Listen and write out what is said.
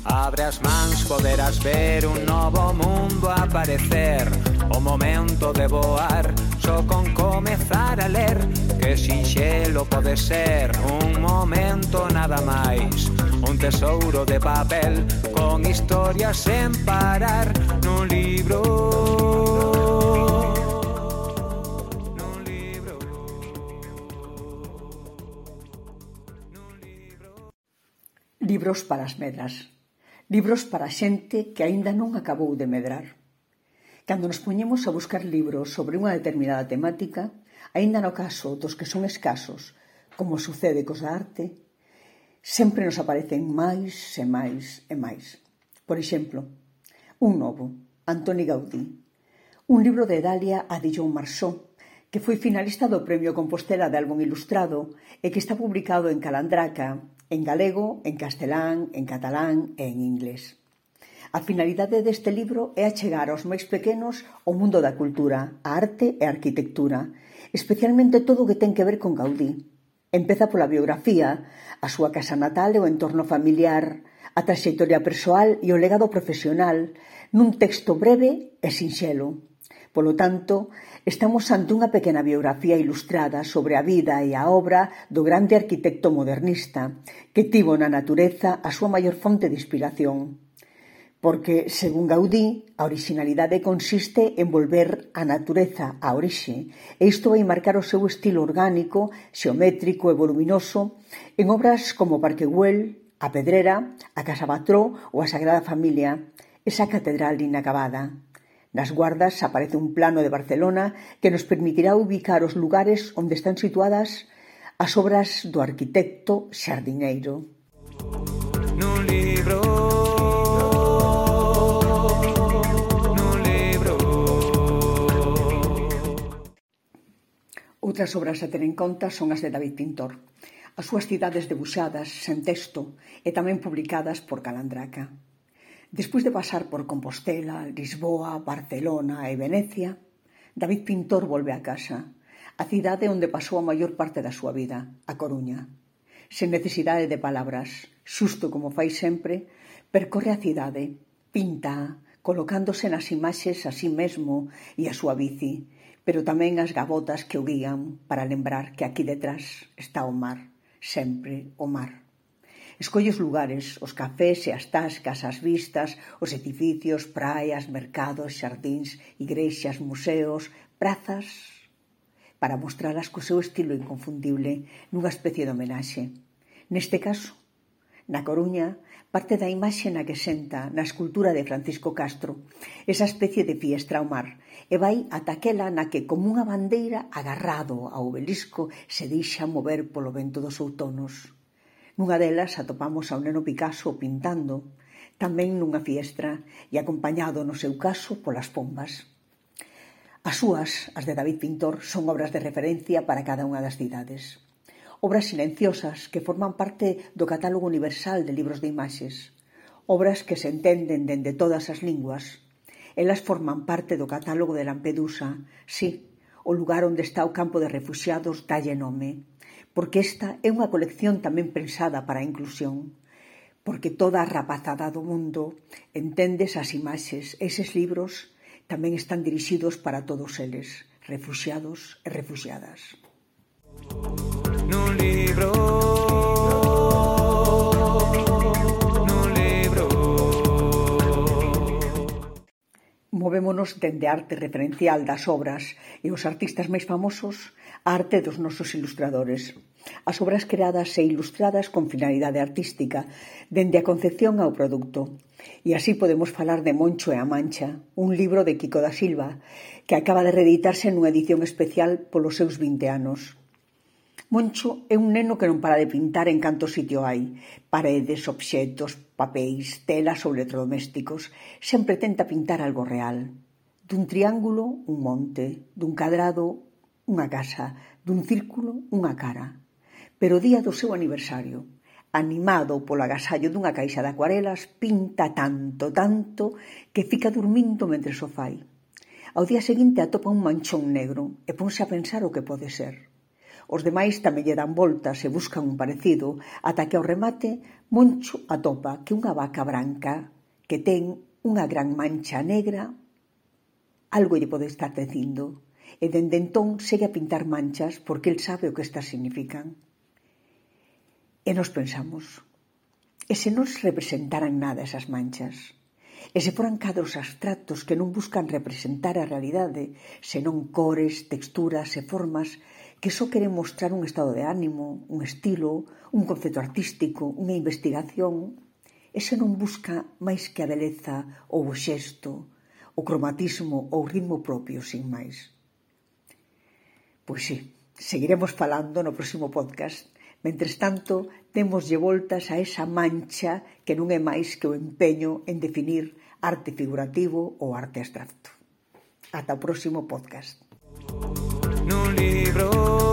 Abre as mans, poderás ver un novo mundo aparecer. O momento de voar, só con comezar a ler. Que sinxelo pode ser, un momento nada máis. Un tesouro de papel, con historias sen parar. Nun libro, nun libro, nun libro. Libros para as medras. Libros para a xente que aínda non acabou de medrar. Cando nos poñemos a buscar libros sobre unha determinada temática, aínda no caso dos que son escasos, como sucede cos da arte, sempre nos aparecen máis e máis e máis. Por exemplo, un novo, Antoni Gaudí, un libro de Dalia a Dillon Marsó, que foi finalista do Premio Compostela de Álbum Ilustrado e que está publicado en Calandraca, en galego, en castelán, en catalán e en inglés. A finalidade deste libro é achegar aos máis pequenos o mundo da cultura, a arte e a arquitectura, especialmente todo o que ten que ver con Gaudí. Empeza pola biografía, a súa casa natal e o entorno familiar, a traxectoria persoal e o legado profesional, nun texto breve e sinxelo. Polo tanto, estamos ante unha pequena biografía ilustrada sobre a vida e a obra do grande arquitecto modernista, que tivo na natureza a súa maior fonte de inspiración. Porque, según Gaudí, a orixinalidade consiste en volver a natureza á orixe, e isto vai marcar o seu estilo orgánico, xeométrico e voluminoso en obras como Parque Güell, A Pedrera, a Casa Batró ou a Sagrada Familia, esa catedral inacabada. Nas Guardas aparece un plano de Barcelona que nos permitirá ubicar os lugares onde están situadas as obras do arquitecto xardineiro. Nun libro, nun libro. Outras obras a ter en conta son as de David Pintor, as súas cidades debuxadas, sen texto, e tamén publicadas por Calandraca. Despois de pasar por Compostela, Lisboa, Barcelona e Venecia, David Pintor volve a casa, a cidade onde pasou a maior parte da súa vida, a Coruña. Sen necesidade de palabras, xusto como fai sempre, percorre a cidade, pinta, colocándose nas imaxes a sí mesmo e a súa bici, pero tamén as gavotas que o guían para lembrar que aquí detrás está o mar, sempre o mar. Escolle os lugares, os cafés e as tascas, as vistas, os edificios, praias, mercados, xardíns, igrexas, museos, prazas, para mostralas co seu estilo inconfundible nunha especie de homenaxe. Neste caso, na Coruña, parte da imaxe na que senta na escultura de Francisco Castro, esa especie de fiestra ao mar, e vai ata aquela na que, como unha bandeira agarrado ao obelisco, se deixa mover polo vento dos outonos. Nunha delas atopamos ao neno Picasso pintando, tamén nunha fiestra e acompañado no seu caso polas pombas. As súas, as de David Pintor, son obras de referencia para cada unha das cidades. Obras silenciosas que forman parte do catálogo universal de libros de imaxes. Obras que se entenden dende todas as linguas. Elas forman parte do catálogo de Lampedusa, sí, o lugar onde está o campo de refuxiados dalle nome. Porque esta é unha colección tamén pensada para a inclusión, porque toda a rapazada do mundo entende esas imaxes, eses libros tamén están dirixidos para todos eles, refuxiados e refuxiadas. Nun libro, nun libro. Movémonos dende a arte referencial das obras e os artistas máis famosos a arte dos nosos ilustradores. As obras creadas e ilustradas con finalidade artística, dende a concepción ao produto. E así podemos falar de Moncho e a Mancha, un libro de Quico da Silva, que acaba de reeditarse nunha edición especial polos seus 20 anos. Moncho é un neno que non para de pintar en canto sitio hai. Paredes, obxetos, papéis, telas ou electrodomésticos. Sempre tenta pintar algo real. Dun triángulo, un monte. Dun cadrado, unha casa. Dun círculo, unha cara. Pero o día do seu aniversario, animado polo agasallo dunha caixa de acuarelas, pinta tanto que fica dormindo mentre o fai. Ao día seguinte atopa un manchón negro e ponse a pensar o que pode ser. Os demais tamén lle dan voltas e buscan un parecido, ata que ao remate Moncho atopa que unha vaca branca que ten unha gran mancha negra algo lle pode estar dicindo, e dende entón segue a pintar manchas porque el sabe o que estas significan. E nos pensamos, e se non representaran nada esas manchas? E se foran cadros abstractos que non buscan representar a realidade, senón cores, texturas e formas que só queren mostrar un estado de ánimo, un estilo, un concepto artístico, unha investigación, e se non busca máis que a beleza ou o xesto, o cromatismo ou o ritmo propio, sin máis. Pois sí, seguiremos falando no próximo podcast. Mentres tanto, démoslle voltas a esa mancha que non é máis que o empeño en definir arte figurativo ou arte abstracto. Ata o próximo podcast. Nun libro